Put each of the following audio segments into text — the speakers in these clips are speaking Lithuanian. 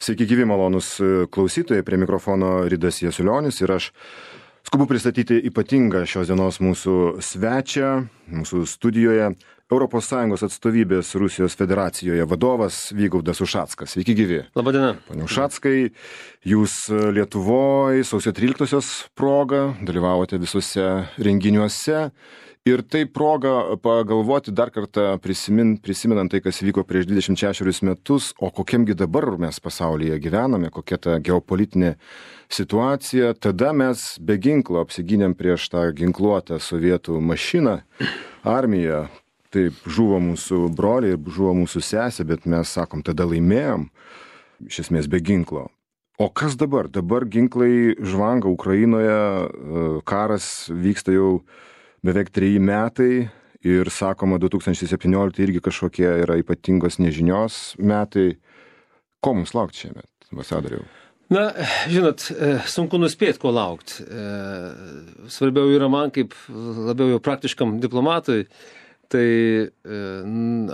Sveiki gyvi malonus klausytojai, prie mikrofono Ridas Jasiulionis ir aš skubu pristatyti ypatingą šios dienos mūsų svečią, mūsų studijoje, ES atstovybės Rusijos federacijoje vadovas Vygaudas Ušackas. Sveiki gyvi. Labadiena. Pane Ušackai, jūs Lietuvoje sausio 13-osios proga dalyvavote visuose renginiuose. Ir tai proga pagalvoti dar kartą prisimenant tai, kas vyko prieš 26 metus, o kokiamgi dabar mes pasaulyje gyvename, kokia ta geopolitinė situacija. Tada mes be ginklo apsigynėm prieš tą ginkluotą sovietų mašiną, armiją. Taip, žuvo mūsų broliai ir žuvo mūsų sesė, bet mes sakom, tada laimėjom, iš esmės be ginklo. O kas dabar? Dabar ginklai žvanga Ukrainoje, karas vyksta jau beveik 3 metai ir sakoma 2017 irgi kažkokie yra ypatingos nežinios metai. Ko mums laukti šiemet, ambasadoriau? Na, žinot, sunku nuspėti, ko laukti. Svarbiau yra man, kaip labiau jau praktiškam diplomatui, tai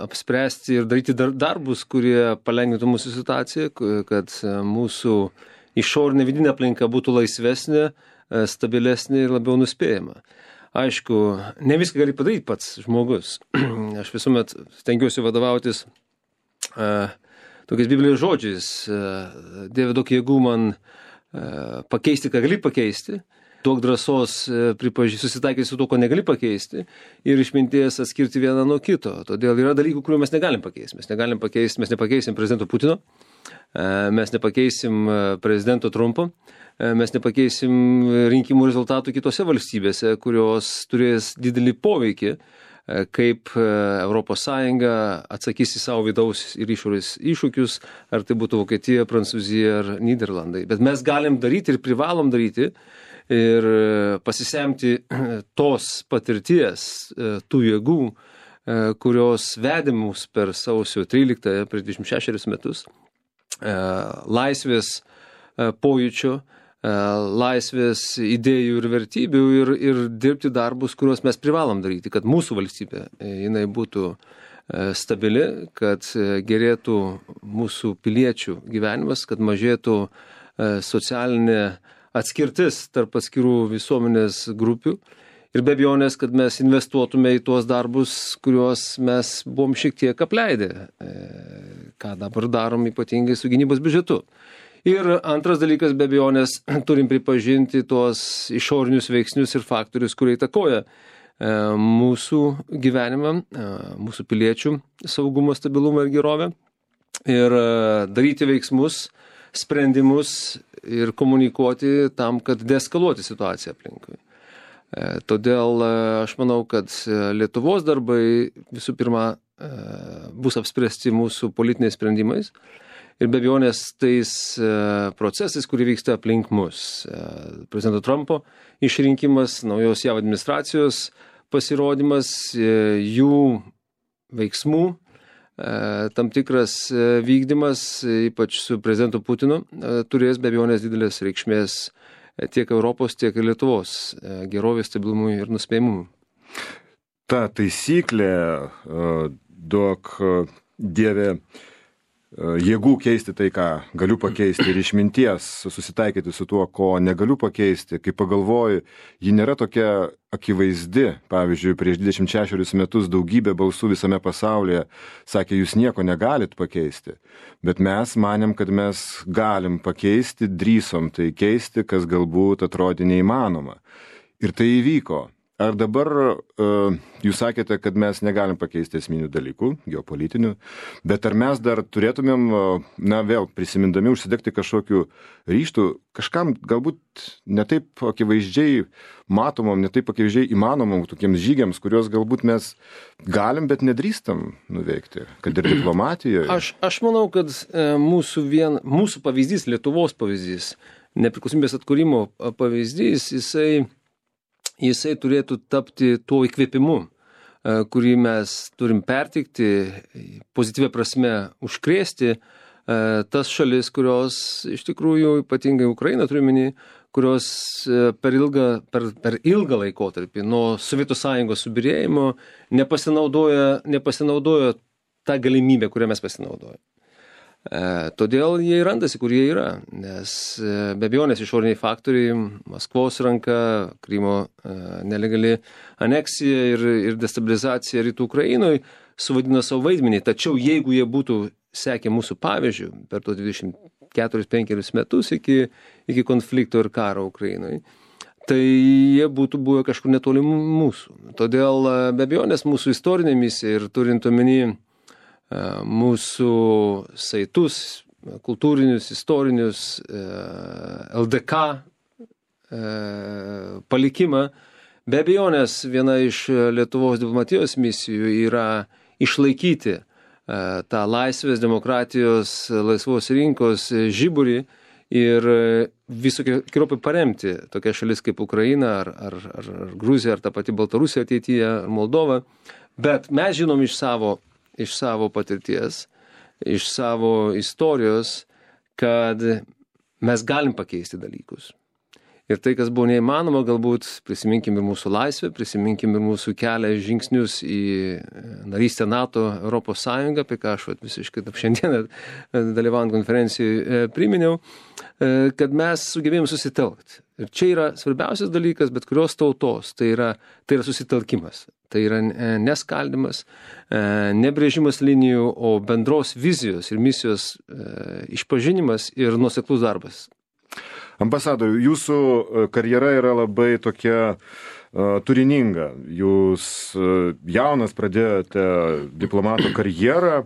apspręsti ir daryti darbus, kurie palengvintų mūsų situaciją, kad mūsų išorinė vidinė aplinka būtų laisvesnė, stabilesnė ir labiau nuspėjama. Aišku, ne viską gali padaryti pats žmogus. Aš visuomet stengiuosi vadovautis tokiais Biblijos žodžiais. Dieve, duok jėgų man pakeisti, ką gali pakeisti. Duok drąsos susitaikyti su to, ko negali pakeisti. Ir išminties atskirti vieną nuo kito. Todėl yra dalykų, kurių mes negalim pakeisti. Mes nepakeisim prezidento Putino. Mes nepakeisim prezidento Trumpo. Mes nepakeisim rinkimų rezultatų kitose valstybėse, kurios turės didelį poveikį, kaip ES atsakys į savo vidaus ir išorės iššūkius, ar tai būtų Vokietija, Prancūzija ar Nyderlandai. Bet mes galim daryti ir privalom daryti ir pasisemti tos patirties, tų jėgų, kurios vedė mus per sausio 13 prieš 26 metus, laisvės pojūčio, laisvės idėjų ir vertybių ir dirbti darbus, kuriuos mes privalom daryti, kad mūsų valstybė jinai būtų stabili, kad gerėtų mūsų piliečių gyvenimas, kad mažėtų socialinė atskirtis tarp atskirų visuomenės grupių ir be abejonės, kad mes investuotume į tuos darbus, kuriuos mes buvom šiek tiek apleidę, ką dabar darom ypatingai su gynybos biudžetu. Ir antras dalykas, be abejonės, turim pripažinti tuos išorinius veiksnius ir faktorius, kurie įtakoja mūsų gyvenimą, mūsų piliečių saugumą, stabilumą ir gerovę. Ir daryti veiksmus, sprendimus ir komunikuoti tam, kad deeskaluoti situaciją aplinkui. Todėl aš manau, kad Lietuvos darbai visų pirma bus apspręsti mūsų politiniais sprendimais. Ir be abejonės tais procesais, kurie vyksta aplink mus. Prezidento Trumpo išrinkimas, naujos JAV administracijos pasirodymas, jų veiksmų, tam tikras vykdymas, ypač su prezidentu Putinu, turės be abejonės didelės reikšmės tiek Europos, tiek ir Lietuvos gerovės, stabilumui ir nuspėjimumui. Ta taisyklė, duok Dieve jėgų keisti tai, ką galiu pakeisti ir išminties susitaikyti su tuo, ko negaliu pakeisti, kai pagalvoju, ji nėra tokia akivaizdi. Pavyzdžiui, prieš 26 metus daugybė balsų visame pasaulyje sakė, jūs nieko negalit pakeisti. Bet mes manėm, kad mes galim pakeisti, drįsom tai keisti, kas galbūt atrodė neįmanoma. Ir tai įvyko. Ar dabar jūs sakėte, kad mes negalim pakeisti esminių dalykų, geopolitinių, bet ar mes dar turėtumėm, vėl prisimindami, užsidegti kažkokiu ryžtų, kažkam galbūt netaip akivaizdžiai matomam, netaip akivaizdžiai įmanomam tokiems žygiams, kuriuos galbūt mes galim, bet nedrįstam nuveikti, kad ir diplomatijoje? Aš manau, kad mūsų pavyzdys, Lietuvos pavyzdys, nepriklausomybės atkūrimo pavyzdys, jisai turėtų tapti tuo įkvėpimu, kurį mes turim pertikti, pozityvia prasme užkrėsti tas šalis, kurios iš tikrųjų, ypatingai Ukraina turiuomenį, kurios per ilgą laikotarpį nuo Sovietų Sąjungos subyrėjimo nepasinaudojo tą galimybę, kurią mes pasinaudojame. Todėl jie randasi, kur jie yra, nes be abejonės išoriniai faktoriai, Maskvos ranka, Krymo nelegali aneksija ir destabilizacija rytų Ukrainoje suvadino savo vaidmenį. Tačiau jeigu jie būtų sekę mūsų pavyzdžių per tos 24-5 metus iki konflikto ir karo Ukrainoje, tai jie būtų buvę kažkur netoli mūsų. Todėl be abejonės mūsų istorinė misija ir turint omeny mūsų saitus, kultūrinius, istorinius, LDK palikimą. Be abejonės viena iš Lietuvos diplomatijos misijų yra išlaikyti tą laisvės, demokratijos, laisvos rinkos žiburį ir visokiopai paremti tokias šalis kaip Ukraina ar Gruzija, ar ta pati Baltarusija ateityje, ar Moldova. Bet mes žinom iš savo patirties, iš savo istorijos, kad mes galim pakeisti dalykus. Ir tai, kas buvo neįmanoma, galbūt prisiminkim ir mūsų laisvę, prisiminkim ir mūsų kelią žingsnius į narystę NATO, Europos Sąjungą, apie ką aš visiškai šiandieną dalyvaujant konferencijoje priminiau, kad mes sugebėjom susitelkti. Ir čia yra svarbiausias dalykas, bet kurios tautos, tai yra susitelkimas. Tai yra neskaldimas, nebrėžimas linijų, o bendros vizijos ir misijos išpažinimas ir nuoseklus darbas. Ambasadoriau, jūsų karjera yra labai tokia turininga. Jūs jaunas pradėjote diplomato karjerą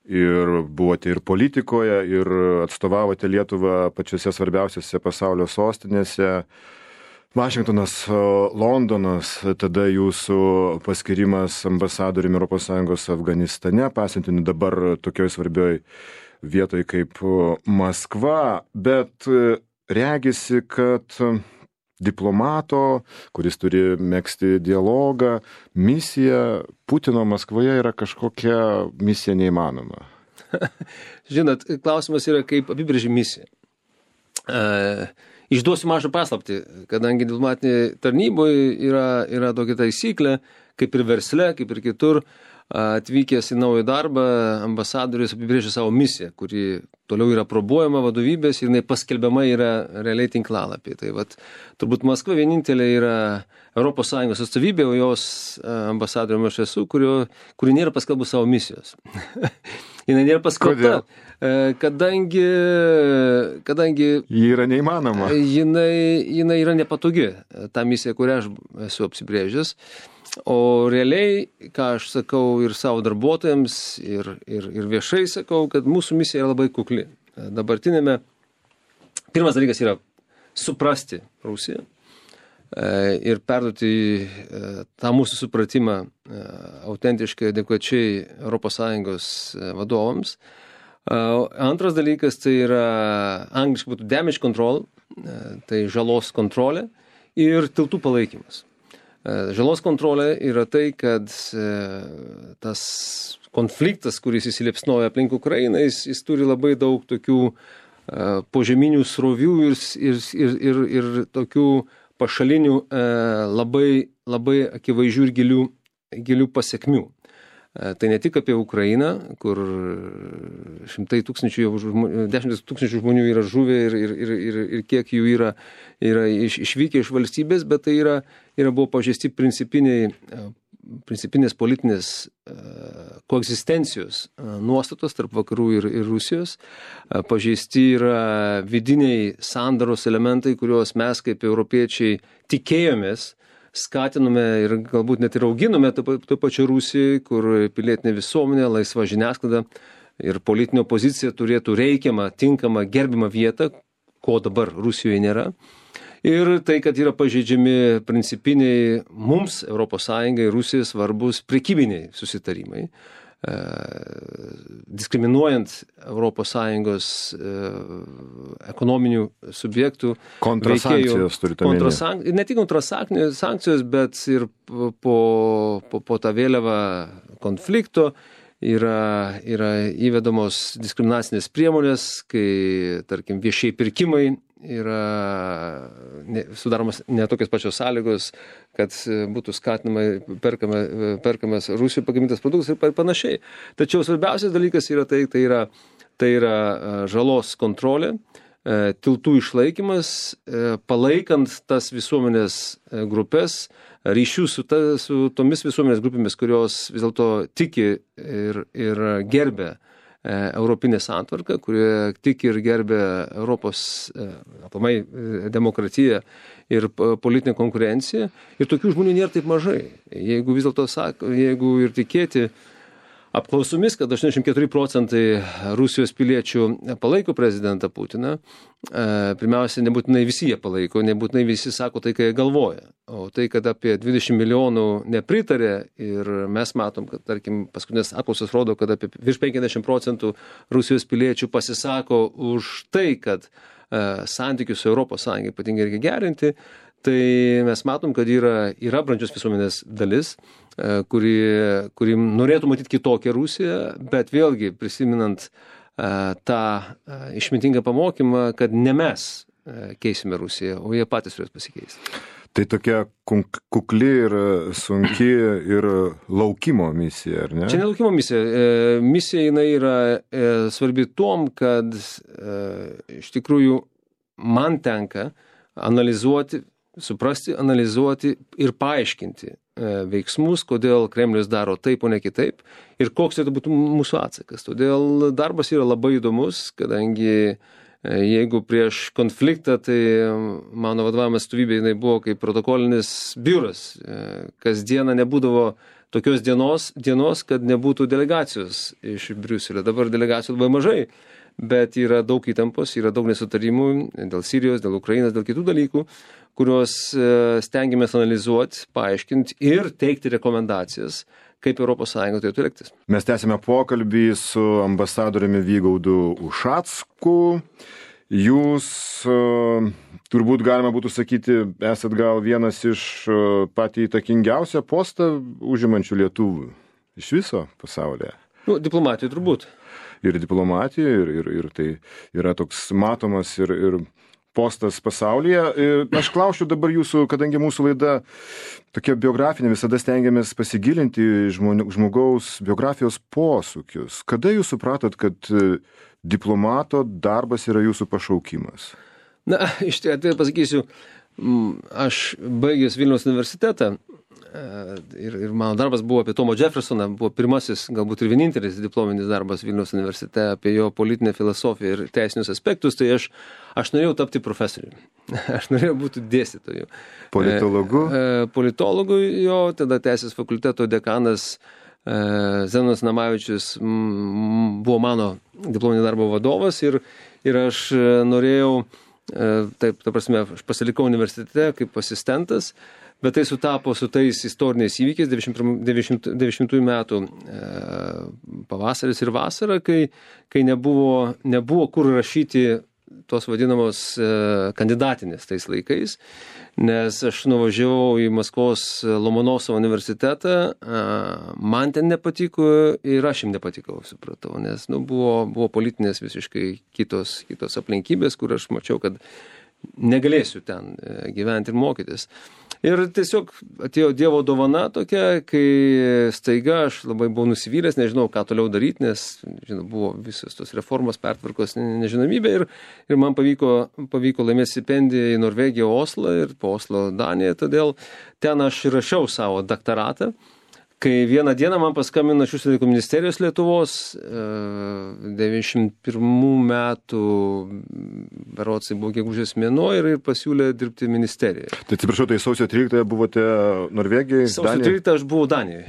ir buvote ir politikoje, ir atstovavote Lietuvą pačiose svarbiausiose pasaulio sostinėse. Vašingtonas, Londonas, tada jūsų paskirimas ambasadoriumi ES Afganistane, pasiuntiniu dabar tokioj svarbioj vietoj kaip Maskva, bet regisi, kad diplomato, kuris turi megzti dialogą, misija Putino Maskvoje yra kažkokia misija neįmanoma. Žinot, klausimas yra, kaip apibrėži misiją. Išduosiu mažą paslaptį, kadangi diplomatinėje tarnyboje yra tokia taisyklė, kaip ir versle, kaip ir kitur, atvykęs į naują darbą, ambasadorius apibrėžia savo misiją, kuri toliau yra aprobuojama vadovybės ir jinai paskelbiama yra realiai tinklalapį. Tai vat, turbūt Maskva vienintelė yra ES atstovybė, o jos ambasadoriumi aš esu, kuri nėra paskelbus savo misijos. Jinai nėra paskelbta, kadangi ji yra neįmanoma. Jinai yra nepatogi, ta misija, kurią aš esu apsibrėžęs. O realiai, ką aš sakau ir savo darbuotojams, ir viešai sakau, kad mūsų misija yra labai kukli. Dabartinėme, pirmas dalykas yra suprasti Rusiją ir perduoti tą mūsų supratimą autentiškai, adekvačiai ES vadovams. Antras dalykas tai yra angliškai būtų damage control, tai žalos kontrolė ir tiltų palaikymas. Žalos kontrolė yra tai, kad tas konfliktas, kuris įsiliepsnoja aplink Ukrainą, jis turi labai daug tokių požeminių srovių ir tokių pašalinių labai akivaizdžių ir gilių pasekmių. Tai ne tik apie Ukrainą, kur šimtai tūkstančių, 10 tūkstančių žmonių yra žuvę ir kiek jų yra išvykę iš valstybės, bet tai buvo pažeisti principinės politinės koegzistencijos nuostatos tarp vakarų ir Rusijos. Pažeisti yra vidiniai sandaros elementai, kuriuos mes kaip europiečiai tikėjomės, skatinome ir galbūt net ir auginome to pačio Rusijai, kur pilietinė visuomenė, laisva žiniasklaida ir politinė opozicija turėtų reikiamą, tinkamą, gerbimą vietą, ko dabar Rusijoje nėra. Ir tai, kad yra pažeidžiami principiniai mums, ES ir Rusijai svarbus prekybiniai susitarimai, diskriminuojant ES ekonominių subjektų kontrasankcijos turite omenyje. Ne tik kontrasankcijos, bet ir po tą vėliavą konflikto yra įvedamos diskriminacinės priemonės, kai, tarkim, viešiai pirkimai yra sudaromas ne tokios pačios sąlygos, kad būtų skatinama perkamas Rusijoje pagamintas produktas ir panašiai. Tačiau svarbiausias dalykas yra tai yra Tai yra žalos kontrolė, tiltų išlaikymas, palaikant tas visuomenės grupės, ryšių su tomis visuomenės grupėmis, kurios vis dėlto tiki ir gerbė europinė santvarka, kurie tiki ir gerbė Europos aplamai demokratiją ir politinę konkurenciją. Ir tokių žmonių nėra taip mažai. Jeigu vis dėlto jeigu ir tikėti apklausomis, kad 84% Rusijos piliečių palaiko prezidentą Putiną, pirmiausia, nebūtinai visi jie palaiko, nebūtinai visi sako tai, ką jie galvoja. O tai, kad apie 20 milijonų nepritarė ir mes matom, kad, tarkim, paskutinės apklausos rodo, kad apie virš 50% Rusijos piliečių pasisako už tai, kad santykius su Europos Sąjunga ypatingai reikia gerinti, tai mes matom, kad yra brandžios visuomenės dalis, kuri norėtų matyti kitokią Rusiją, bet vėlgi prisiminant tą išmintingą pamokymą, kad ne mes keisime Rusiją, o jie patys turės pasikeisti. Tai tokia kukli ir sunki ir laukimo misija, ar ne? Čia ne laukimo misija. Misija jinai yra svarbi tuom, kad iš tikrųjų man tenka analizuoti, suprasti, analizuoti ir paaiškinti veiksmus, kodėl Kremlius daro taip, o ne kitaip, ir koks tai būtų mūsų atsakas. Todėl darbas yra labai įdomus, kadangi jeigu prieš konfliktą, tai mano vadovavimas atstovybė jinai buvo kaip protokolinis biuras. Kasdieną nebūdavo tokios dienos, kad nebūtų delegacijos iš Briuselio. Dabar delegacijų labai mažai, bet yra daug įtampos, yra daug nesutarimų dėl Sirijos, dėl Ukrainos, dėl kitų dalykų, kuriuos stengiamės analizuoti, paaiškinti ir teikti rekomendacijas, kaip ES turėtų elgtis. Mes tęsime pokalbį su ambasadoriumi Vygaudu Ušacku. Jūs, turbūt galima būtų sakyti, esat gal vienas iš patį įtakingiausią postą užimančių lietuvių iš viso pasaulyje. Diplomatijų turbūt. Ir diplomatija, ir tai yra toks matomas ir postas pasaulyje. Aš klausčiau dabar jūsų, kadangi mūsų laida tokia biografinė, visada stengiamės pasigilinti žmogaus biografijos posūkius. Kada jūs supratot, kad diplomato darbas yra jūsų pašaukimas? Na, iš tikrųjų pasakysiu, aš baigęs Vilniaus universitetą ir mano darbas buvo apie Tomo Jeffersoną, buvo pirmasis, galbūt ir vienintelis diplominis darbas Vilniaus universitete apie jo politinę filosofiją ir teisinius aspektus, tai aš norėjau tapti profesoriumi. Aš norėjau būti dėstytoju. Politologu? Politologu jo, tada Teisės fakulteto dekanas Zenonas Namavičius buvo mano diplominio darbo vadovas ir aš norėjau, taip, ta prasme, aš pasilikau universitete kaip asistentas, bet tai sutapo su tais istoriniais įvykiais 90 metų pavasaris ir vasara, kai nebuvo kur rašyti tos vadinamos kandidatinės tais laikais, nes aš nuvažiavau į Maskvos Lomonosovo universitetą, man ten nepatiko ir aš jam nepatikau, supratau, nes buvo politinės visiškai kitos aplinkybės, kur aš mačiau, kad negalėsiu ten gyventi ir mokytis. Ir tiesiog atėjo Dievo dovana tokia, kai staiga aš labai buvau nusivylęs, nežinau, ką toliau daryti, nes buvo visos tos reformos, pertvarkos, nežinomybė ir man pavyko laimėti stipendiją į Norvegiją, Oslą ir po Oslo Daniją, todėl ten aš rašiau savo daktaratą. Kai vieną dieną man paskambino iš Užsienio reikalų ministerijos Lietuvos 91 metų, berods buvo gegužės mėnuo ir pasiūlė dirbti ministerijoje. Tai atsiprašau, tai sausio 13 buvote Norvegijoje? Sausio 13 aš buvau Danijoje.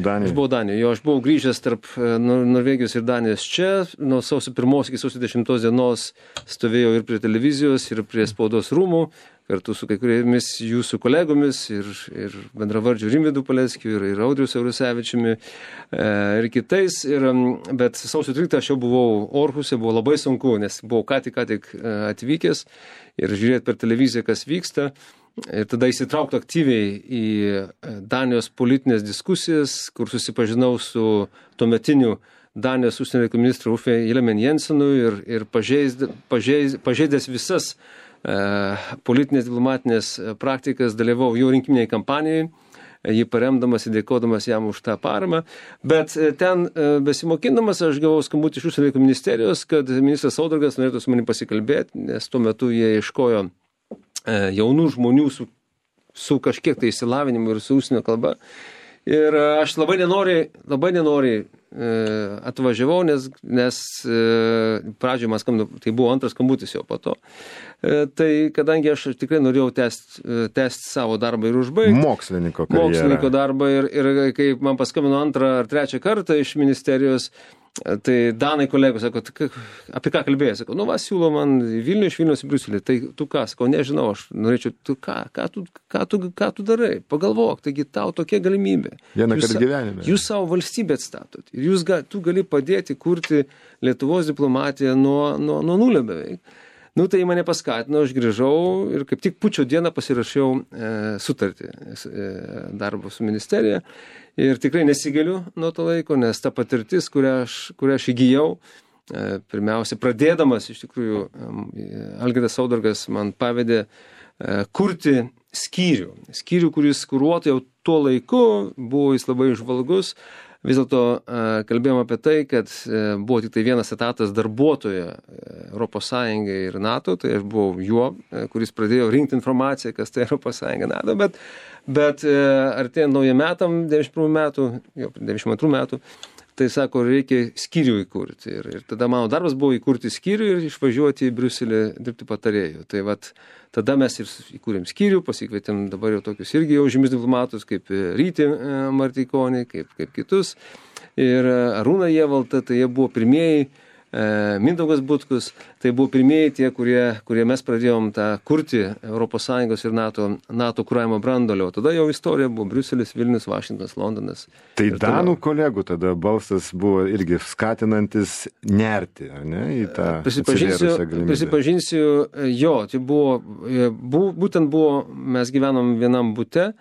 Aš buvau grįžęs tarp Norvegijos ir Danijos čia. Nuo sausio 1 iki sausio 10 dienos stovėjau ir prie televizijos, ir prie spaudos rūmų, kartu su kai kuriomis jūsų kolegomis ir bendravardžiu Rimvydu Paleckiu ir Audriu Siaurusevičiumi ir kitais. Bet sausio 13 aš jau buvau Orhuse, buvo labai sunku, nes buvau ką tik atvykęs ir žiūrėti per televiziją, kas vyksta. Ir tada įsitraukti aktyviai į Danijos politinės diskusijas, kur susipažinau su tuometiniu Danijos užsienio reikalų ministru Uffe Ellemann-Jensenu ir pažeidęs visas politinės diplomatinės praktikas, dalyvau jau rinkiminiai kampanijai, jį paremdamas ir dėkodamas jam už tą paramą. Bet ten besimokindamas aš gavau skambutį iš Užsienio reikalų ministerijos, kad ministras Saudargas norėtų su manim pasikalbėti, nes tuo metu jie ieškojo jaunų žmonių su kažkiek tai išsilavinimu ir su užsienio kalba. Ir aš labai nenoriai atvažiavau, nes pradžioje man skambino, tai buvo antras skambutis jau po to. Tai kadangi aš tikrai norėjau tęsti savo darbą ir užbaigti. Mokslininko karjerą. Mokslininko darbą ir kai man paskambino antrą ar trečią kartą iš ministerijos, tai Danai kolegos sako, apie ką kalbėjai? Sako, siūlo man Vilnių, iš Vilniaus į Briuselį. Tai tu ką? Sako, nežinau, aš norėčiau, tu ką tu darai? Pagalvok, taigi tau tokia galimybė. Vienąkart gyvenime. Jūs savo valstybę atstatot. Ir tu gali padėti kurti Lietuvos diplomatiją nuo nulio beveik. Tai mane paskatino, aš grįžau ir kaip tik pučio dieną pasirašiau sutartį darbo su ministerija. Ir tikrai nesigaliu nuo to laiko, nes ta patirtis, kurią aš įgijau, pirmiausia, pradėdamas, iš tikrųjų, Algirdas Saudargas man pavedė kurti skyrių, kuris kuruotų jau tuo laiku, buvo jis labai žvalgus. Vis dėlto kalbėjom apie tai, kad buvo tik tai vienas etatas darbuotojo Europos Sąjungai ir NATO, tai aš buvau juo, kuris pradėjo rinkti informaciją, kas tai Europos Sąjunga NATO, bet artėjant naujiem metam, 91 metų, jau 92 metų, tai sako, reikia skyrių įkurti. Ir tada mano darbas buvo įkurti skyrių ir išvažiuoti į Briuselį dirbti patarėjų. Tai tada mes ir įkūrėm skyrių, pasikvietėm dabar jau tokius irgi jau žymius diplomatus, kaip Rytį Martikonį, kaip kitus. Ir Arūną Jevaltą, tai jie buvo pirmieji, Mindaugas Butkus, tai buvo pirmieji tie, kurie mes pradėjom kurti ES ir NATO kuravimo brandolio. Tada jau istorija buvo Briuselis, Vilnius, Vašingtonas, Londonas. Tai Danų kolegų tada balsas buvo irgi skatinantis nerti, ar ne, į tą atsivėrusią galimybę. Prisipažinsiu, jo, tai būtent buvo, mes gyvenom vienam bute,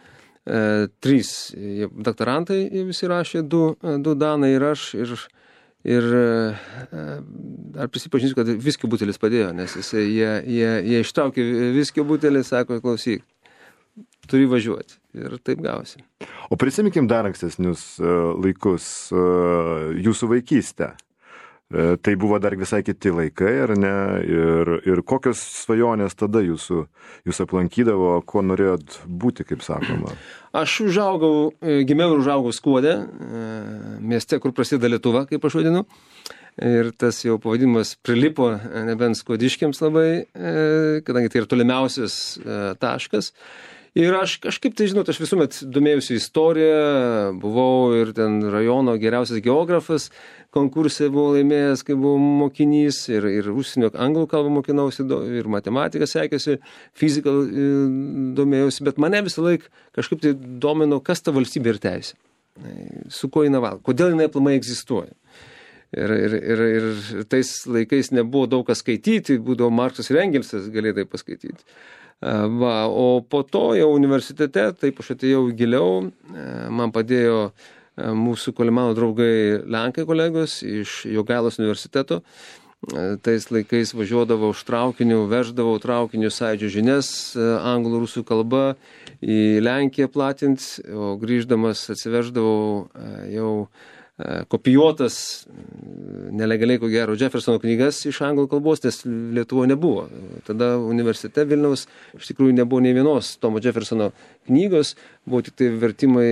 3 doktorantai visi rašė, 2 Danai ir aš, ir ar prisipažinsiu, kad viskio butelis padėjo, nes jie ištraukė viskio butelį, sako, klausyk, turi važiuoti. Ir taip gausi. O prisiminkim dar ankstesnius laikus, jūsų vaikystę. Tai buvo dar visai kiti laikai, ar ne? Ir kokios svajonės tada jūs aplankydavo, kuo norėjot būti, kaip sakoma? Aš gimiau ir užaugau Skuode, mieste, kur prasideda Lietuva, kaip aš vadinu. Ir tas jau pavadinimas prilipo nebent skuodiškiams labai, kadangi tai yra tolimiausias taškas. Ir aš kažkaip, tai žinot, aš visuomet domėjausi istoriją, buvau ir ten rajono geriausias geografas, konkursai buvau laimėjęs, kai buvau mokinys, ir užsienio anglų kalbą mokinausi, ir matematiką sekėsi, fiziką domėjausi, bet mane visą laiką kažkaip tai domino, kas ta valstybė ir teisė, su kuo jinai valgo, kodėl jinai aplamai egzistuoja. Ir tais laikais nebuvo daug kas skaityti, būdavo Marksas ir Engelsas galėdai paskaityti. O po to jau universitete, taip aš atėjau giliau, man padėjo mūsų Kolimano draugai Lenkai kolegos iš Jogailos universiteto. Tais laikais važiuodavau už traukinių, veždavau traukinių Sąjūdžio žinias, anglų, rusų kalba į Lenkiją platinti, o grįždamas atsiveždavau jau kopijuotas nelegaliai, ko gero, Jeffersono knygas iš anglų kalbos, nes Lietuvoje nebuvo. Tada universitete Vilniaus iš tikrųjų nebuvo nei vienos Tomo Jeffersono knygos, buvo tik tai vertimai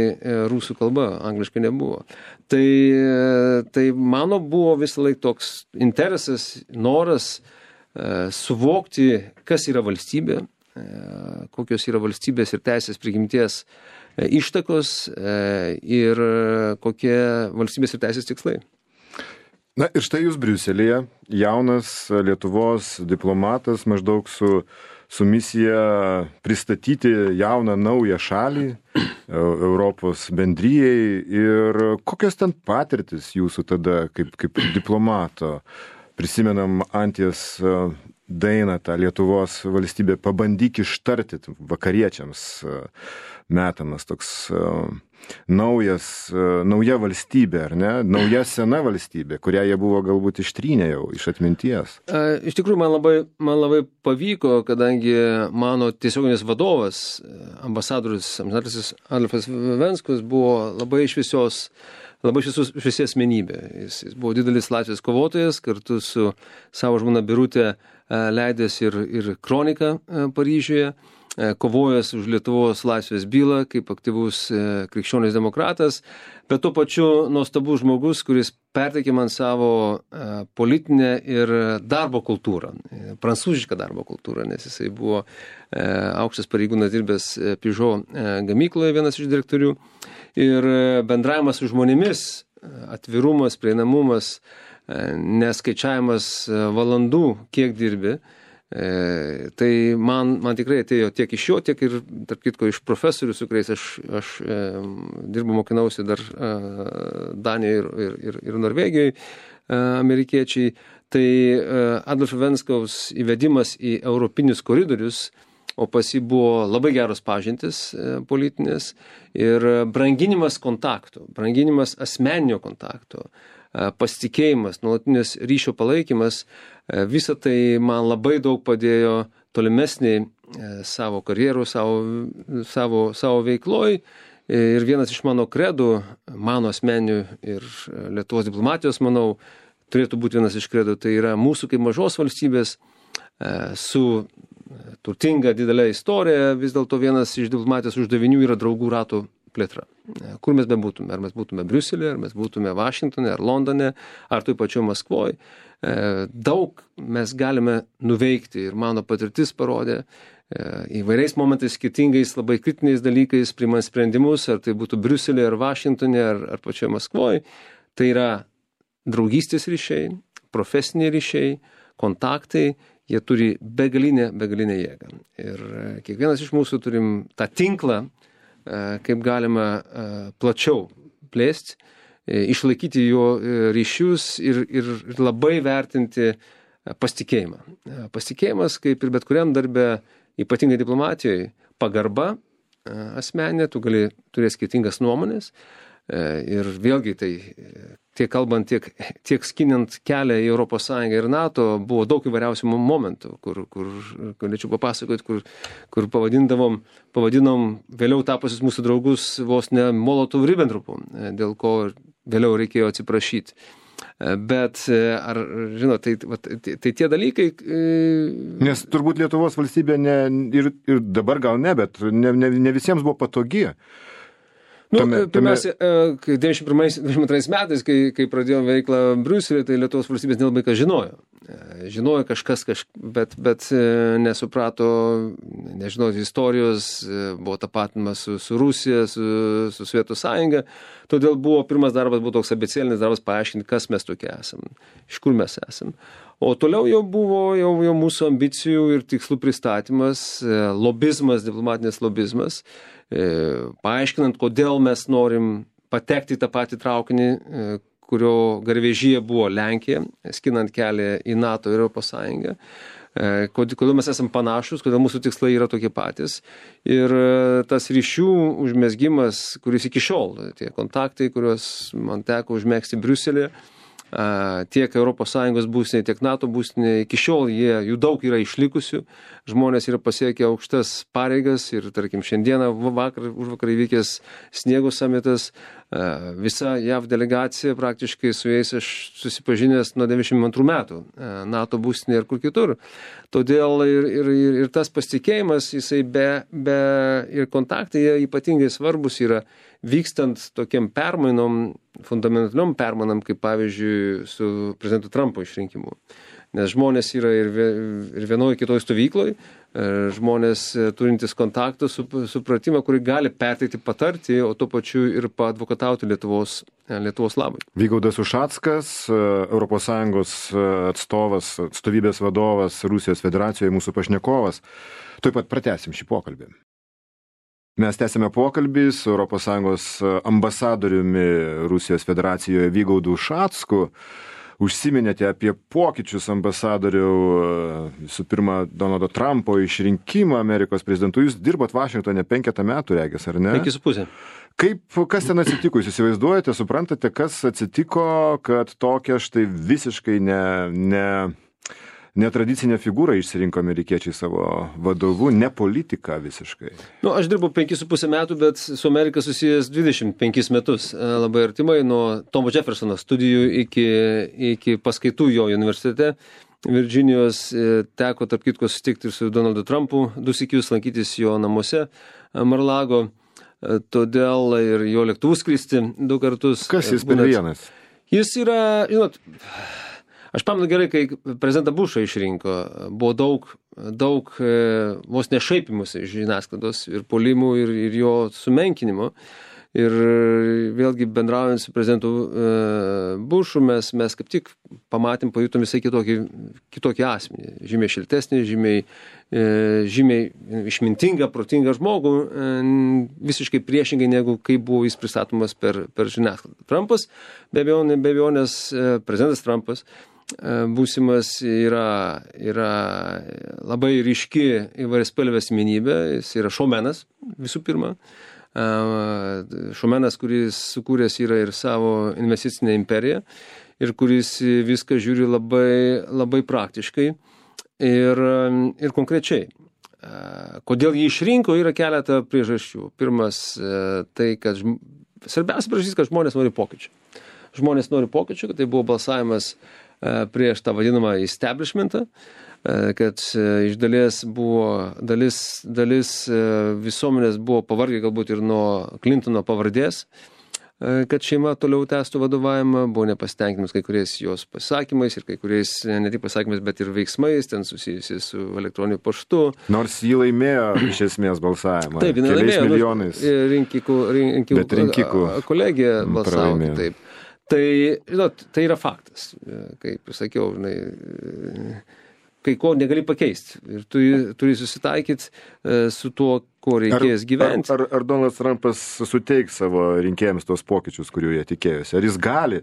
rusų kalba, angliškai nebuvo. Tai mano buvo visą laiką toks interesas, noras suvokti, kas yra valstybė, kokios yra valstybės ir teisės prigimties ištakos ir kokie valstybės ir teisės tikslai. Na ir štai jūs Briuselyje, jaunas Lietuvos diplomatas, maždaug su misija pristatyti jauną naują šalį Europos bendrijai. Ir kokios ten patirtis jūsų tada kaip diplomato? Prisimenam Anties dainą, tą Lietuvos valstybę, pabandyk ištarti vakariečiams metamas toks nauja valstybė, ar ne? Nauja sena valstybė, kurią jie buvo galbūt ištrynę jau iš atminties. Iš tikrųjų, man labai pavyko, kadangi mano tiesioginis vadovas, ambasadorius Adolfas Venskus, buvo labai šviesi asmenybė. Jis buvo didelis laisvės kovotojas, kartu su savo žmona Birutė leidęs ir kroniką Paryžiuje, kovojęs už Lietuvos laisvės bylą kaip aktyvus krikščionis demokratas, bet tuo pačiu nuostabus žmogus, kuris perteikė man savo politinę ir darbo kultūrą, prancūzišką darbo kultūrą, nes jisai buvo aukštas pareigūnas dirbęs Peugeot gamykloje, vienas iš direktorių. Ir bendravimas su žmonėmis, atvirumas, prieinamumas, neskaičiavimas valandų, kiek dirbi, tai man tikrai atėjo tiek iš jo, tiek ir, tarp kitko, iš profesorių, su kuriais aš dirbu, mokinausi dar Danijoje ir Norvegijoje, amerikiečiai. Tai Adolfo Venskaus įvedimas į europinius koridorius, o pas jį buvo labai geros pažintis politinės ir branginimas kontakto, branginimas asmeninio kontakto, pasitikėjimas, nuolatinis ryšio palaikymas, visa tai man labai daug padėjo tolimesniai savo karjerų, savo veikloj. Ir vienas iš mano kredų, mano asmeninių ir Lietuvos diplomatijos, manau, turėtų būti vienas iš kredų, tai yra mūsų kaip mažos valstybės su turtinga didelė istorija, vis dėlto vienas iš diplomatijos uždavinių yra draugų ratų plėtra. Kur mes bebūtume, ar mes būtume Briuselėje, ar mes būtume Vašingtone, ar Londone, ar toj pačioj Maskvoje, daug mes galime nuveikti ir mano patirtis parodė įvairiais momentais, skirtingais, labai kritiniais dalykais, priimant sprendimus, ar tai būtų Briuselėje, ar Vašingtone, ar pačioje Maskvoje. Tai yra draugystės ryšiai, profesiniai ryšiai, kontaktai, jie turi begalinę jėgą. Ir kiekvienas iš mūsų turim tą tinklą, kaip galima plačiau plėsti, išlaikyti jo ryšius ir labai vertinti pasitikėjimą. Pasitikėjimas, kaip ir bet kuriam darbe, ypatingai diplomatijoje, pagarba asmeninė, tu gali turėti skirtingas nuomonės. Ir vėlgi tai tiek kalbant, tiek skinant kelią į ES ir NATO, buvo daug įvairiausių momentų, kur galėčiau papasakoti, kur pavadinom vėliau tapusius mūsų draugus vos ne Molotov-Ribbentropu, dėl ko vėliau reikėjo atsiprašyti. Bet, ar, žinot, tai tie dalykai... Nes turbūt Lietuvos valstybė ir dabar gal ne, bet ne visiems buvo patogi. Pirmiausia, 92 metais, kai pradėjom veiklą Briuselėje, tai Lietuvos valstybės nelabai ką žinojo. Žinojo kažkas, bet nesuprato, nežinau, istorijos, buvo tapatinimas su Rusija, su Sovietų sąjunga. Todėl pirmas darbas buvo toks abėcėlinis darbas paaiškinti, kas mes tokie esam, iš kur mes esam. O toliau jau buvo jau mūsų ambicijų ir tikslų pristatymas, lobizmas, diplomatinis lobizmas, paaiškinant, kodėl mes norim patekti į tą patį traukinį, kurio garvežyje buvo Lenkija, skinant kelią į NATO ir Europos Sąjungą. Kodėl mes esam panašus, kodėl mūsų tikslai yra tokie patys. Ir tas ryšių užmezgimas, kuris iki šiol, tie kontaktai, kuriuos man teko užmegzti Briuselėje, tiek ES būstinė, tiek NATO būstinė, iki šiol jų daug yra išlikusių, žmonės yra pasiekę aukštas pareigas ir, tarkim, šiandieną užvakar įvykęs sniego samitas, visa JAV delegacija, praktiškai su jais aš susipažinęs nuo 92 metų, NATO būstinė ir kur kitur. Todėl ir tas pasitikėjimas, jisai ir kontaktai, jie ypatingai svarbus yra vykstant tokiam permainom, fundamentaliom permainom, kaip pavyzdžiui su prezidentu Trumpo išrinkimu. Nes žmonės yra ir vienoje kitoje stovykloje, žmonės turintis kontaktų, supratimą, kurį gali perteikti, patarti, o tuo pačiu ir paadvokatauti Lietuvos labui. Vygaudas Ušackas, ES atstovybės vadovas Rusijos federacijoje, mūsų pašnekovas. Tuoj pat pratęsim šį pokalbį. Mes tęsime pokalbį su ES ambasadoriumi Rusijos federacijoje Vygaudu Ušacku. Užsiminėte apie pokyčius ambasadorių, visų pirma, Donaldo Trumpo išrinkimą Amerikos prezidentu. Jūs dirbot Vašingtone 5 metų, regis, ar ne? 5,5. Kas ten atsitiko, jūs įsivaizduojate, suprantate, kas atsitiko, kad tokia štai visiškai netradicinę figūrą išsirinko amerikiečiai savo vadovu, ne politiką visiškai? Aš dirbau 5,5 metų, bet su Amerika susijęs 25 metus labai artimai, nuo Tomo Jeffersono studijų iki paskaitų jo universitete. Virdžinijos teko, tarp kitko, susitikti ir su Donaldu Trumpu, 2 sykius lankytis jo namuose Mar-a-Lago, todėl ir jo lėktuvų skristi 2 kartus. Kas jis per vienas? Jis yra, žinot, aš pamenu gerai, kai prezidentą Bušą išrinko, buvo daug vos nešaipimus iš žiniasklaidos ir puolimų ir jo sumenkinimo. Ir vėlgi bendraujant su prezidentu Bušu, mes kaip tik pamatėm, pajutom visai kitokį asmenį. Žymiai šiltesnį, žymiai išmintingą, protingą žmogų, visiškai priešingai negu kaip buvo jis pristatomas per žiniasklaidą. Trumpas, be abejonės, prezidentas Trumpas, būsimas yra labai ryški įvairiaspalvė asmenybė, jis yra šoumenas visų pirma. Šoumenas, kuris sukūręs yra ir savo investicinę imperiją ir kuris viską žiūri labai praktiškai ir konkrečiai. Kodėl jį išrinko, yra keletą priežasčių. Pirmas, tai, kad svarbiausia priežastis, kad žmonės nori pokyčių. Žmonės nori pokyčių, kad tai buvo balsavimas prieš tą vadinamą establishmentą, kad iš dalies buvo dalis visuomenės buvo pavargę galbūt ir nuo Clintono pavardės, kad šeima toliau tęstų vadovavimą, buvo nepasitenkinimas kai kuriais jos pasakymais ir kai kuriais ne tik pasakymais, bet ir veiksmais, ten susijusiais su elektroniniu paštu. Nors jį laimėjo iš esmės balsavimą. Taip, keliais milijonais. Rinkikų kolegija balsavo kitaip. Tai, žinot, tai yra faktas, kaip ir sakiau, kai ko negali pakeisti ir turi susitaikyti su tuo, ko reikės gyventi. Ar Donaldas Trumpas suteiks savo rinkėjams tos pokyčius, kurių jie tikėjosi? Ar jis gali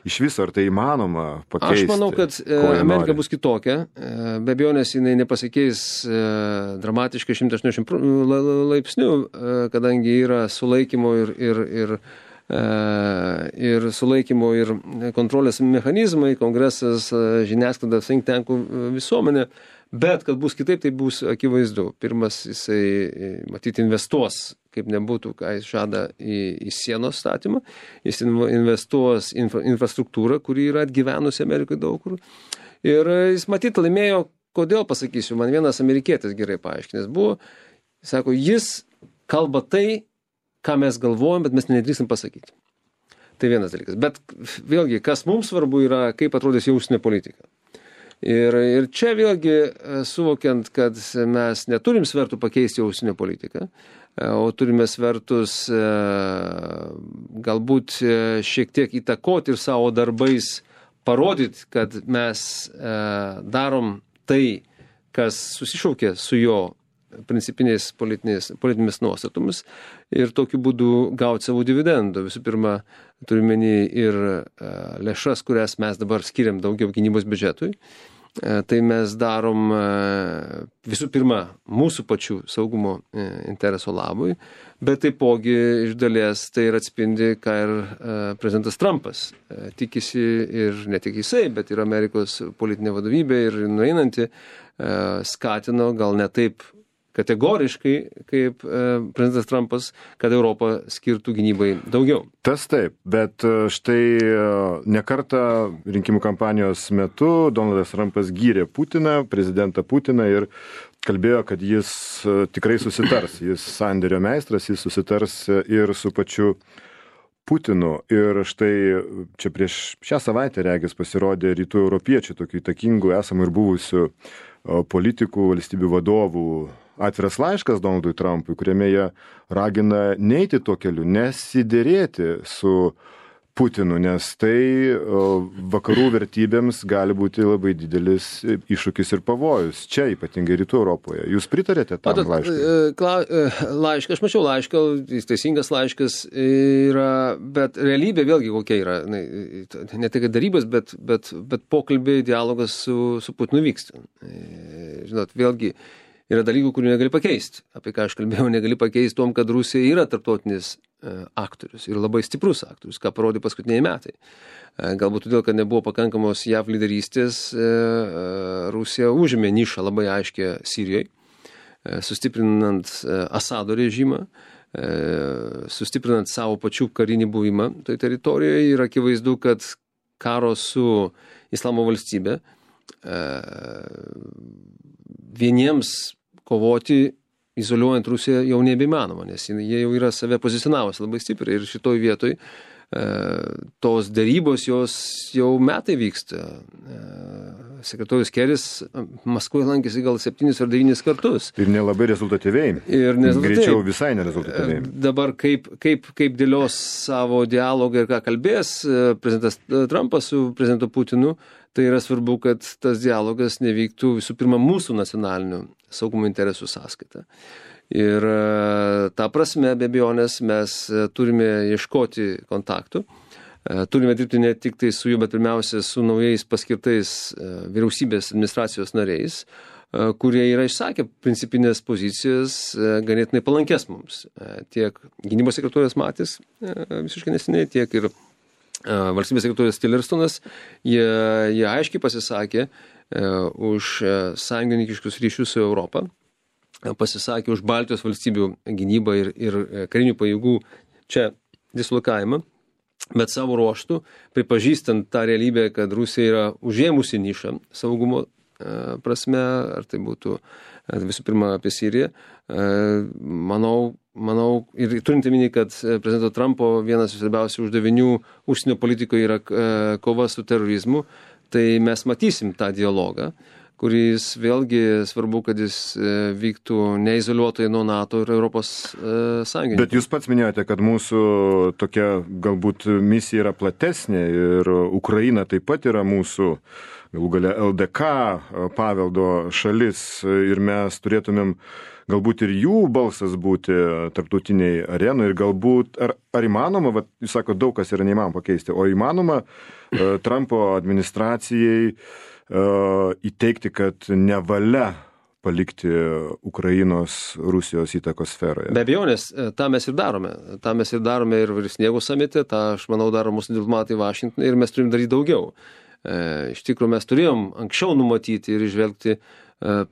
iš viso, ar tai įmanoma pakeisti? Aš manau, kad Amerika bus kitokia. Be abejonės jinai nepasikeis dramatiškai 180 laipsnių, kadangi yra sulaikymo ir sulaikymo ir kontrolės mechanizmai, kongresas, žiniasklaida, think tankų visuomenė, bet kad bus kitaip, tai bus akivaizdu. Pirmas, jisai matyti investuos, kaip nebūtų, ką jis žada į sienos statymą, jis investuos infrastruktūrą, kuri yra atgyvenusi Amerikai daug kur. Ir jis matyti laimėjo, kodėl pasakysiu, man vienas amerikietis gerai paaiškinęs buvo, sako, jis kalba tai, ką mes galvojam, bet mes nedrįstam pasakyti. Tai vienas dalykas. Bet vėlgi, kas mums svarbu yra, kaip atrodys jau užsienio politika. Ir čia vėlgi suvokiant, kad mes neturim svertų pakeisti jau užsienio politiką, o turime svertus galbūt šiek tiek įtakoti ir savo darbais parodyti, kad mes darom tai, kas susišaukia su jo principinės politinėmis nuostatomis ir tokiu būdu gauti savo dividendų. Visų pirma, turime ir lėšas, kurias mes dabar skiriam daugiau gynybos biudžetui. Tai mes darom visų pirma mūsų pačių saugumo intereso labui, bet taipogi iš dalies tai ir atspindi, ką ir prezidentas Trumpas tikisi ir ne tik jisai, bet ir Amerikos politinė vadovybė ir nueinanti skatino gal ne taip kategoriškai, kaip prezidentas Trumpas, kad Europa skirtų gynybai daugiau. Tas taip, bet štai nekartą rinkimų kampanijos metu Donaldas Trumpas gyrė Putiną, prezidentą Putiną ir kalbėjo, kad jis tikrai susitars. Jis sandėrio meistras, jis susitars ir su pačiu Putinu. Ir štai čia prieš šią savaitę regis pasirodė rytų europiečių, tokių įtakingų esamų ir buvusių politikų, valstybių vadovų atviras laiškas Donaldui Trumpui, kuriame jie ragina neiti tuo keliu, nesiderėti su Putinu, nes tai vakarų vertybėms gali būti labai didelis iššūkis ir pavojus. Čia ypatingai rytų Europoje. Jūs pritarėte tam laiškui? Aš mačiau laišką, jis teisingas laiškas yra, bet realybė vėlgi kokia yra. Ne tik darybos, bet pokalbiai, dialogas su Putinu vyksta. Žinot, vėlgi yra dalykų, kurių negali pakeisti. Apie ką aš kalbėjau, negali pakeisti tom, kad Rusija yra tarptautinis aktorius ir labai stiprus aktorius, ką parodė paskutiniai metai. Galbūt todėl, kad nebuvo pakankamos JAV lyderystės, Rusija užėmė nišą labai aiškę Sirijoje, sustiprinant Asado režimą, sustiprinant savo pačių karinį buvimą toje teritorijoje ir akivaizdu, kad karo su Islamo valstybė vieniems kovoti izoliuojant Rusiją jau nebeįmanoma, nes jie jau yra save pozicionavus labai stipriai ir šitoj vietoj tos dėrybos jos jau metai vyksta. Sekretorius Keris Maskvoje lankėsi gal 7 ar 9 kartus. Ir nelabai rezultatyviai. Greičiau visai nerezultatyviai. Dabar kaip dėlios savo dialogą ir ką kalbės prezidentas Trumpas su prezidentu Putinu, tai yra svarbu, kad tas dialogas nevyktų visų pirma mūsų nacionalinių saugumo interesų sąskaita. Ir ta prasme, be abejonės, mes turime ieškoti kontaktų, turime dirbti ne tik tai su jų, bet pirmiausia su naujais paskirtais vyriausybės administracijos nariais, kurie yra išsakę principinės pozicijas ganėtinai palankės mums. Tiek gynybos sekretorius Matis visiškai neseniai, tiek ir valstybės sekretorius Tillersonas, jie aiškiai pasisakė už sąjungininkiškus ryšius su Europą, pasisakė už Baltijos valstybių gynybą ir karinių pajėgų čia dislokavimą, bet savo ruoštų, pripažįstant tą realybę, kad Rusija yra užėmusi nišą saugumo prasme, ar tai būtų visų pirma apie Siriją, manau, ir turint omeny, kad prezidento Trumpo vienas iš svarbiausių uždavinių užsienio politikoje yra kova su terorizmu, tai mes matysim tą dialogą, kuris vėlgi svarbu, kad jis vyktų neizoliuotai nuo NATO ir Europos Sąjungininkų. Bet jūs pats minėjote, kad mūsų tokia galbūt misija yra platesnė ir Ukraina taip pat yra mūsų galų gale LDK paveldo šalis ir mes turėtumėm galbūt ir jų balsas būti tarptautiniai arenui ir galbūt, ar įmanoma, jūs sako, daug kas yra neįmanoma pakeisti, o įmanoma Trumpo administracijai įteikti, kad nevalia palikti Ukrainos Rusijos įtakos sferoje. Be abejonės, tą mes ir darome. tą mes ir darome ir Sniego samite, tą, aš manau, daro mūsų diplomatai Vašingtone ir mes turim daryti daugiau. Iš tikrųjų, mes turėjom anksčiau numatyti ir išvelgti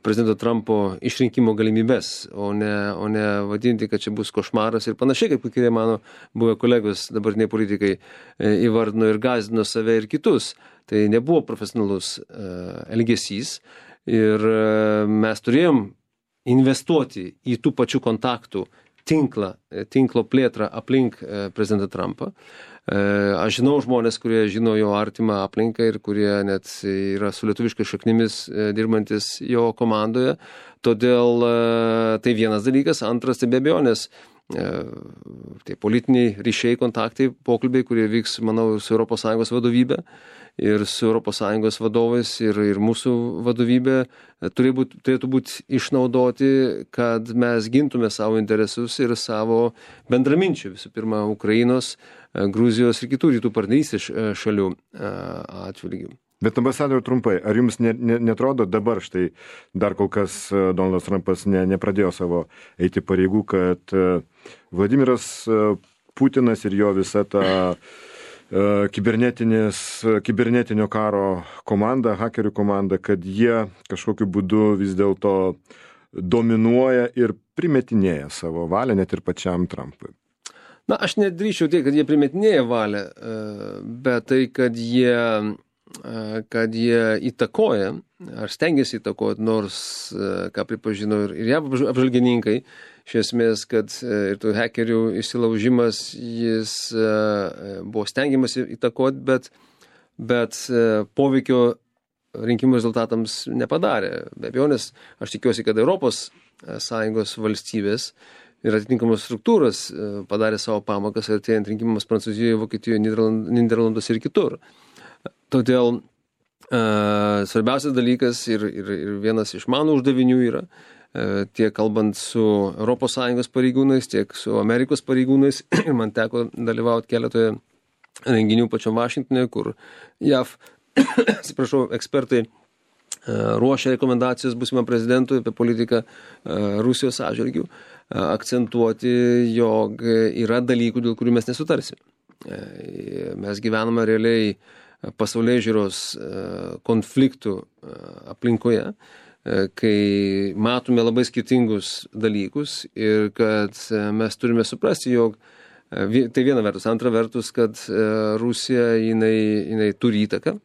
prezidento Trumpo išrinkimo galimybės, o ne vadinti, kad čia bus košmaras ir panašiai, kaip kurie mano buvę kolegos, dabartiniai politikai įvardino ir gąsdino save ir kitus. Tai nebuvo profesionalus elgesys ir mes turėjom investuoti į tų pačių kontaktų tinklo plėtrą aplink prezidentą Trumpą. Aš žinau žmonės, kurie žino jo artimą aplinką ir kurie net yra su lietuviškai šaknimis dirbantis jo komandoje. Todėl tai vienas dalykas. Antras, tai be abejonės, tai politiniai ryšiai, kontaktai, pokalbiai, kurie vyks, manau, su ES vadovybė ir su ES vadovais ir mūsų vadovybė turėtų būti išnaudoti, kad mes gintume savo interesus ir savo bendraminčių, visų pirma, Ukrainos, Gruzijos ir kitų rytų partnerystės šalių atžvilgių. Bet ambasadoriau trumpai, ar jums netrodo dabar štai dar kol kas Donaldas Trumpas nepradėjo savo eiti pareigų, kad Vladimiras Putinas ir jo visa ta kibernetinio karo komanda, hakerių komanda, kad jie kažkokiu būdu vis dėlto dominuoja ir primetinėja savo valią net ir pačiam Trumpui? Na, aš nedrįčiau tai, kad jie primetinėja valią, bet tai, kad jie įtakoja, ar stengiasi įtakoti, nors, ką pripažino ir JAV apžvalgininkai, iš esmės, kad ir tų hakerių įsilaužimas, jis buvo stengiamasi įtakoti, bet poveikio rinkimų rezultatams nepadarė. Be abejonės, aš tikiuosi, kad Europos Sąjungos valstybės ir atitinkamos struktūros padarė savo pamokas artėjant rinkimams Prancūzijoje, Vokietijoje, Nyderlanduose ir kitur. Todėl svarbiausias dalykas ir vienas iš mano uždavinių yra, tiek kalbant su ES pareigūnais, tiek su Amerikos pareigūnais, ir man teko dalyvauti keletoje renginių pačiam Vašingtone, kur JAV, ekspertai ruošia rekomendacijas būsimam prezidentui apie politiką Rusijos atžvilgiu, akcentuoti, jog yra dalykų, dėl kurių mes nesutarsim. Mes gyvename realiai pasaulėžiūros konfliktų aplinkoje, kai matome labai skirtingus dalykus ir kad mes turime suprasti, jog tai viena vertus, antra vertus, kad Rusija jinai turi įtaką,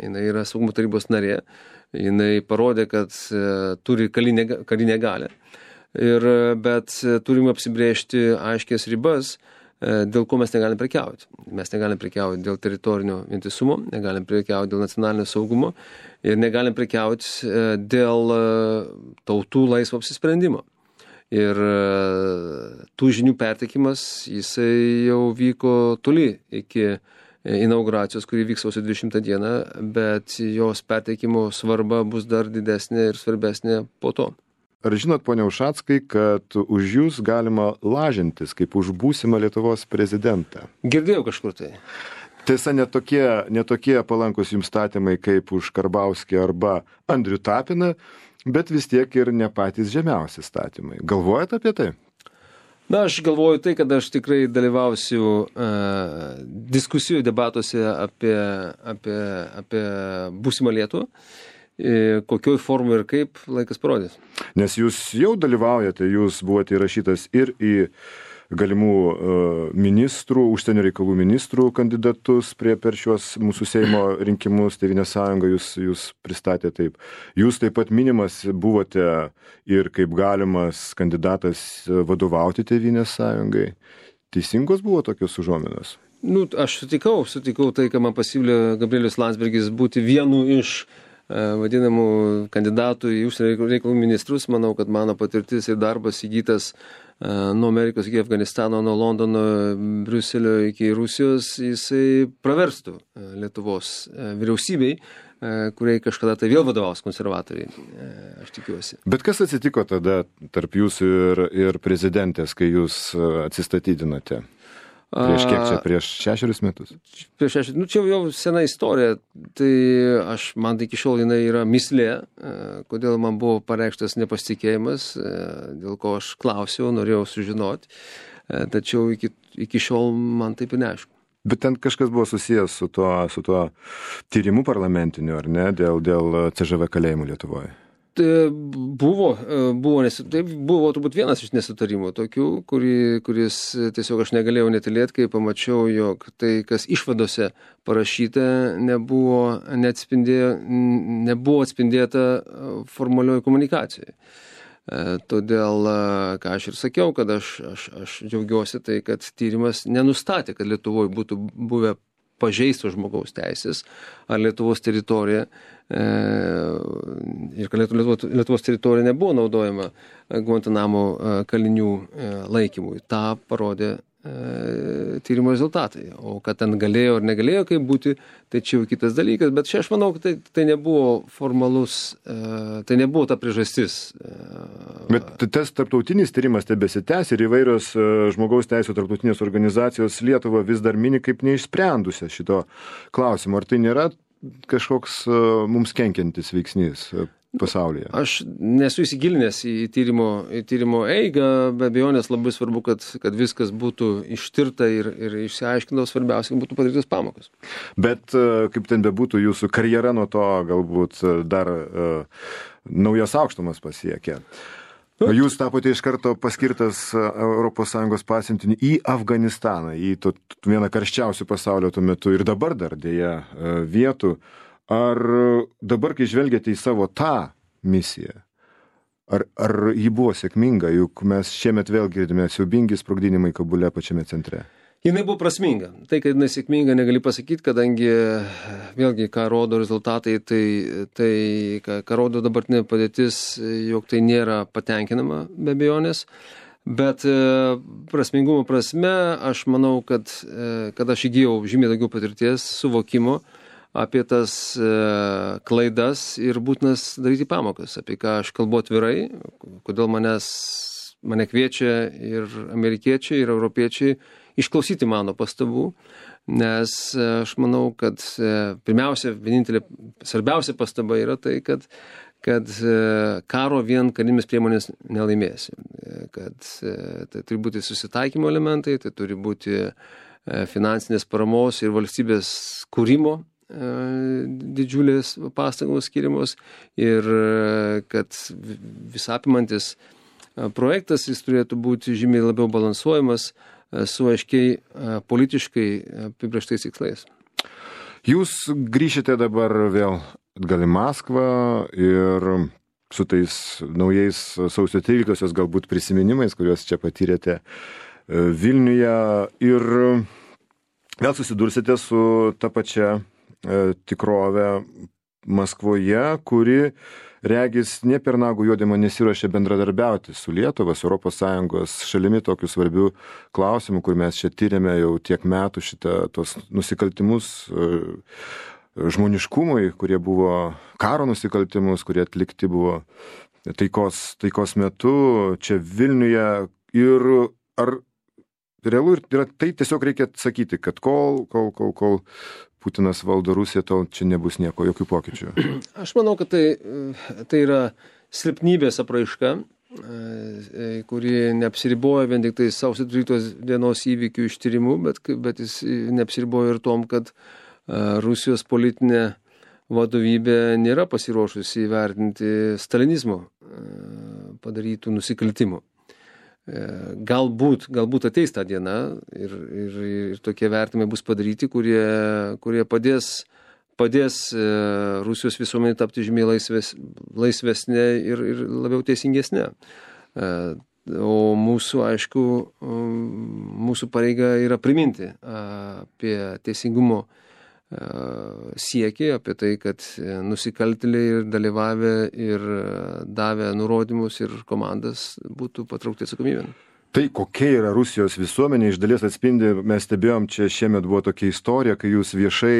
jinai yra saugumo tarybos narė, jinai parodė, kad turi karinę galią, bet turime apsibrėžti aiškias ribas, dėl ko mes negalim prekiauti. Mes negalim prekiauti dėl teritorinio vientisumo, negalim prekiauti dėl nacionalinio saugumo ir negalim prekiauti dėl tautų laisvo apsisprendimo. Ir tų žinių perteikimas, jisai jau vyko toli iki inauguracijos, kuri vyks sausio 20 dieną, bet jos perteikimo svarba bus dar didesnė ir svarbesnė po to. Ar žinot, ponia Ušackai, kad už jūs galima lažintis kaip už būsimą Lietuvos prezidentą? Girdėjau kažkur tai. Tiesa, netokie palankus jums statymai kaip už Karbauskį arba Andrių Tapiną, bet vis tiek ir ne patys žemiausi statymai. Galvojat apie tai? Na, aš galvoju tai, kad aš tikrai dalyvausiu diskusijų debatuose apie būsimą Lietuvą. Kokioj formų ir kaip laikas parodys. Nes jūs jau dalyvaujate, jūs buvote įrašytas ir į galimų ministrų, užsienio reikalų ministrų kandidatus per šios mūsų Seimo rinkimus, Tėvynės sąjunga jūs pristatė taip. Jūs taip pat minimas buvote ir kaip galimas kandidatas vadovauti Tėvynės sąjungai. Teisingos buvo tokios užuominos? Aš sutikau tai, ką man pasiūlė Gabrielius Landsbergis būti vienu iš vadinamų kandidatų į užsienio reikalų ministrus. Manau, kad mano patirtis ir darbas įgytas nuo Amerikos iki Afganistano, nuo Londono, Briuselio iki Rusijos, jisai praverstų Lietuvos vyriausybei, kuriai kažkada tai vėl vadovaus konservatoriai, aš tikiuosi. Bet kas atsitiko tada tarp jūsų ir prezidentės, kai jūs atsistatydinote? Prieš kiek čia? Prieš 6 metus? Prieš 6, čia jau sena istorija, tai man iki šiol jinai yra mislė, kodėl man buvo pareikštas nepasitikėjimas, dėl ko aš klausiau, norėjau sužinoti, tačiau iki šiol man taip ir neaišku. Bet ten kažkas buvo susijęs su tuo tyrimu parlamentiniu, ar ne, dėl CŽV kalėjimų Lietuvoje? Buvo turbūt vienas iš nesutarimų tokių, kuris tiesiog aš negalėjau netylėti, kai pamačiau, jog tai, kas išvadose parašyta, nebuvo atspindėta formalioje komunikacijoje. Todėl, ką aš ir sakiau, kad aš džiaugiuosi tai, kad tyrimas nenustatė, kad Lietuvoje būtų buvę pažeistos žmogaus teisės ar Lietuvos teritorija ir kad Lietuvos teritorija nebuvo naudojama Guantanamo kalinių laikymui. Ta parodė tyrimo rezultatai. O kad ten galėjo ar negalėjo kaip būti, tai čia jau kitas dalykas. Bet čia aš manau, kad tai nebuvo formalus, tai nebuvo ta priežastis. Bet tas tarptautinis tyrimas tebesitęs ir įvairios žmogaus teisų tarptautinės organizacijos Lietuvą vis dar mini kaip neišsprendusią šito klausimo. Ar tai nėra kažkoks mums kenkiantis veiksnys pasaulyje? Aš nesu įsigilinęs į tyrimo eigą, be abejonės labai svarbu, kad viskas būtų ištirta ir išsiaiškinta, svarbiausia, kad būtų padarytos pamokos. Bet kaip ten bebūtų, jūsų karjera nuo to galbūt dar naujas aukštumas pasiekė. Jūs tapote iš karto paskirtas ES pasiuntinį į Afganistaną, į vieną karščiausių pasaulio tuo metu ir dabar dar dėja vietų. Ar dabar, kai žvelgiate į savo tą misiją, ar ji buvo sėkminga, juk mes šiemet vėl girdime siaubingi sprogdinimai Kabule pačiame centre? Jinai buvo prasminga. Tai, kad jinai sėkminga, negali pasakyti, kadangi vėlgi, ką rodo rezultatai, tai ką rodo dabartinė padėtis, jog tai nėra patenkinama be abejonės. Bet prasmingumo prasme, aš manau, kad aš įgijau žymiai daugiau patirties, suvokimo apie tas klaidas ir būtinas daryti pamokas, apie ką aš kalbu atvirai, kodėl mane kviečia ir amerikiečiai, ir europiečiai išklausyti mano pastabų, Nes aš manau, kad pirmiausia, vienintelė svarbiausia pastaba yra tai, kad karo vien karinėmis priemonės nelaimėsi. Kad tai turi būti susitaikymo elementai, tai turi būti finansinės paramos ir valstybės kūrimo didžiulės pastangos skiriamos ir kad visapimantis projektas jis turėtų būti žymiai labiau balansuojamas su aiškiai politiškai apibrėžtais tikslais. Jūs grįšite dabar vėl atgal į Maskvą ir su tais naujais sausio 13-osios galbūt prisiminimais, kuriuos čia patyrėte Vilniuje ir vėl susidursite su ta pačia tikrove Maskvoje, kuri regis ne per nagų juodimą nesiruošia bendradarbiauti su Lietuva, su ES šalimi tokių svarbių klausimų, kur mes čia tyrėme jau tiek metų tos nusikaltimus žmoniškumui, kurie buvo karo nusikaltimus, kurie atlikti buvo taikos metu čia Vilniuje. Ir ar realu yra, tai tiesiog reikia sakyti, kad kol Putinas valdo Rusiją, tol čia nebus nieko, jokių pokyčių. Aš manau, kad tai yra silpnybės apraiška, kuri neapsiriboja vien tik tai sausio 13 dienos įvykių ištyrimu, bet jis neapsiriboja ir tom, kad Rusijos politinė vadovybė nėra pasiruošusi įvertinti stalinizmo padarytų nusikaltimų. Galbūt ateis tą dieną ir tokie vertimai bus padaryti, kurie padės Rusijos visuomenė tapti žymiai laisvesnė ir labiau teisingesnė. O mūsų, aišku, mūsų pareiga yra priminti apie teisingumo siekį, apie tai, kad nusikaltėliai ir dalyvavę ir davę nurodymus ir komandas būtų patraukti atsakomybėn. Tai kokia yra Rusijos visuomenė, iš dalies atspindi, mes stebėjom, čia šiemet buvo tokia istorija, kai jūs viešai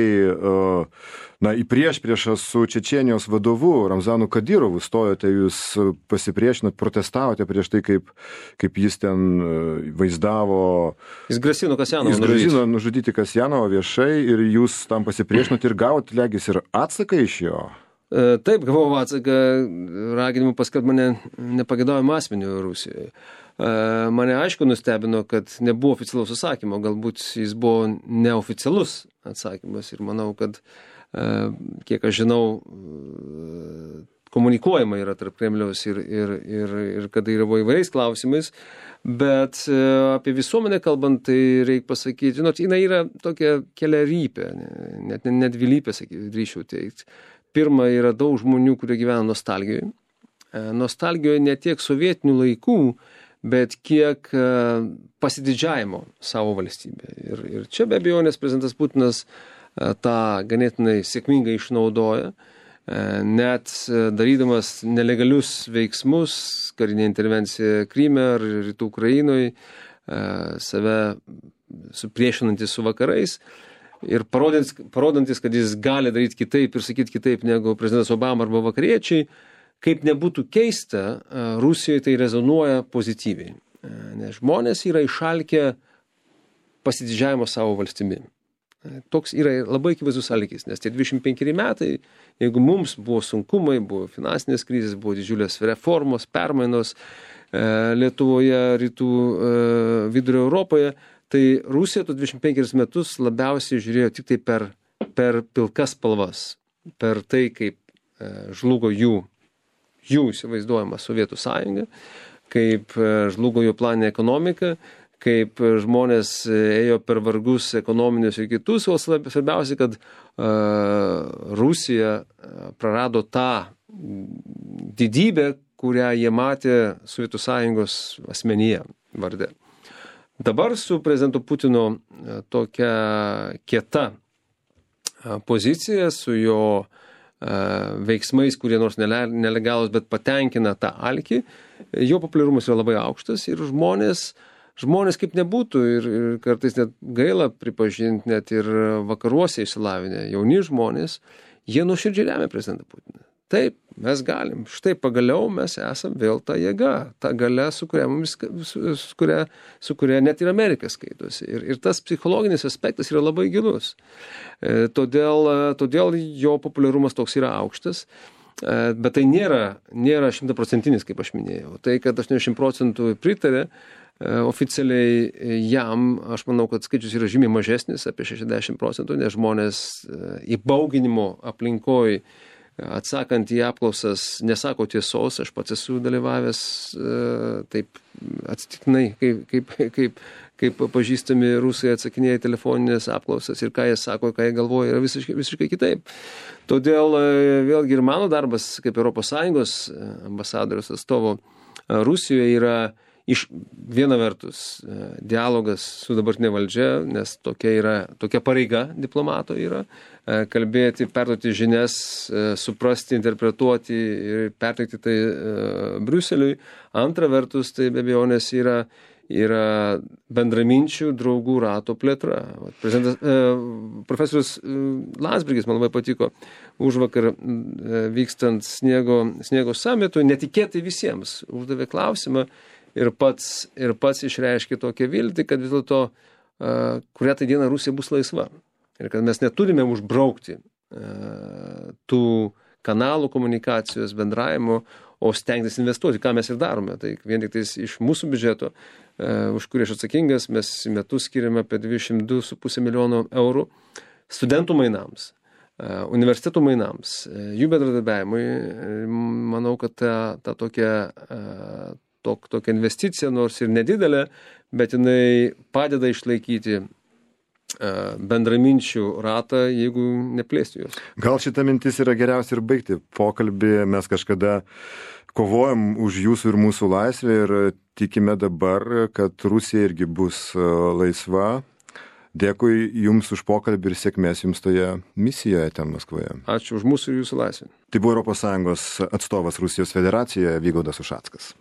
į priešpriešą su Čečėnijos vadovu Ramzanu Kadyrovu stojote, jūs pasipriešinot, protestavote prieš tai, kaip jis ten vaizdavo. Jis grasino Kasjanovą nužudyti. Jis grasino nužudyti Kasjanovą viešai ir jūs tam pasipriešinot ir gavot, legis, ir atsaką iš jo. Taip, gavau atsaką, raginimu paskelbti mane nepageidaujamų asmenių Rusijoje. Mane aišku nustebino, kad nebuvo oficialaus atsakymo, galbūt jis buvo neoficialus atsakymas ir manau, kad kiek aš žinau, komunikuojama yra tarp Kremliaus ir Kadyrovo įvairiais klausimais, bet apie visuomenę kalbant, tai reikia pasakyti, jinai yra tokia keliarypė, net dvilypė, drįsčiau teikti. Pirma, yra daug žmonių, kurie gyvena nostalgijoje. Nostalgijoje ne tiek sovietinių laikų, bet kiek pasididžiavimo savo valstybė. Ir čia be abejonės prezidentas Putinas tą ganėtinai sėkmingai išnaudoja, net darydamas nelegalius veiksmus, karinė intervencija Kryme ar Rytų Ukrainoje, save supriešinantis su vakarais ir parodantis, kad jis gali daryti kitaip ir sakyti kitaip negu prezidentas Obama arba vakariečiai. Kaip nebūtų keista, Rusijoje tai rezonuoja pozityviai, nes žmonės yra išalkę pasididžiavimo savo valstybė. Toks yra labai akivaizdus alkis, nes tie 25 metai, jeigu mums buvo sunkumai, buvo finansinės krizės, buvo didžiulės reformos, permainos Lietuvoje, rytų vidurio Europoje, tai Rusija tų 25 metus labiausiai žiūrėjo tik tai per pilkas spalvas, per tai, kaip žlugo jų įsivaizduojama Sovietų sąjunga, kaip žlugo jo planinė ekonomika, kaip žmonės ėjo per vargus ekonominius ir kitus, o svarbiausia, kad Rusija prarado tą didybę, kurią jie matė Sovietų sąjungos asmenyje varde. Dabar su prezidentu Putino tokia kieta pozicija, su jo veiksmais, kurie nors nelegalus, bet patenkina tą alkį, jo populiarumas yra labai aukštas ir žmonės kaip nebūtų ir kartais net gaila pripažinti, net ir vakaruose išsilavinę jauni žmonės, jie nuoširdžiai remia prezidentą Putiną. Taip, mes galim. Štai pagaliau mes esam vėl ta jėga, ta galia, su kuria net ir Amerika skaitosi. Ir tas psichologinis aspektas yra labai gilus. Todėl jo populiarumas toks yra aukštas. Bet tai nėra 100%, kaip aš minėjau. Tai, kad 80% pritarė oficialiai jam, aš manau, kad skaičius yra žymiai mažesnis, apie 60%, nes žmonės įbauginimo aplinkoje, atsakant į apklausas, nesako tiesos. Aš pats esu dalyvavęs taip atsitiktinai, kaip pažįstami rusai atsakinėja telefoninės apklausas ir ką jie sako, ką jie galvoja, yra visiškai kitaip. Todėl vėlgi ir mano darbas kaip ES ambasadoriaus atstovo Rusijoje yra iš viena vertus dialogas su dabartinė valdžia, nes tokia pareiga diplomato yra, kalbėti, perduoti žinias, suprasti, interpretuoti ir perteikti tai Briuseliui. Antra vertus, tai be abejonės yra bendraminčių draugų rato plėtra. Profesorius Landsbergis, man labai patiko, užvakar vykstant sniego summitui, netikėtai visiems uždavė klausimą ir pats išreiškė tokią viltį, kad vis dėlto kurią tai dieną Rusija bus laisva. Ir kad mes neturime užbraukti tų kanalų komunikacijos, bendravimo, o stengtis investuoti, ką mes ir darome. Tai vien tik iš mūsų biudžeto, už kurį aš atsakingas, mes metus skiriame apie 22,5 milijono eurų studentų mainams, universitetų mainams, jų bendradarbiavimui. Manau, kad ta tokia investicija, nors ir nedidelė, bet jinai padeda išlaikyti bendraminčių ratą, jeigu neplėsti juos. Gal šita mintis yra geriausia ir baigti pokalbį. Mes kažkada kovojom už jūsų ir mūsų laisvę ir tikime dabar, kad Rusija irgi bus laisva. Dėkui Jums už pokalbį ir sėkmės Jums toje misijoje ten Maskvoje. Ačiū už mūsų ir Jūsų laisvę. Tai buvo ES atstovas Rusijos federacijoje Vygaudas Ušackas.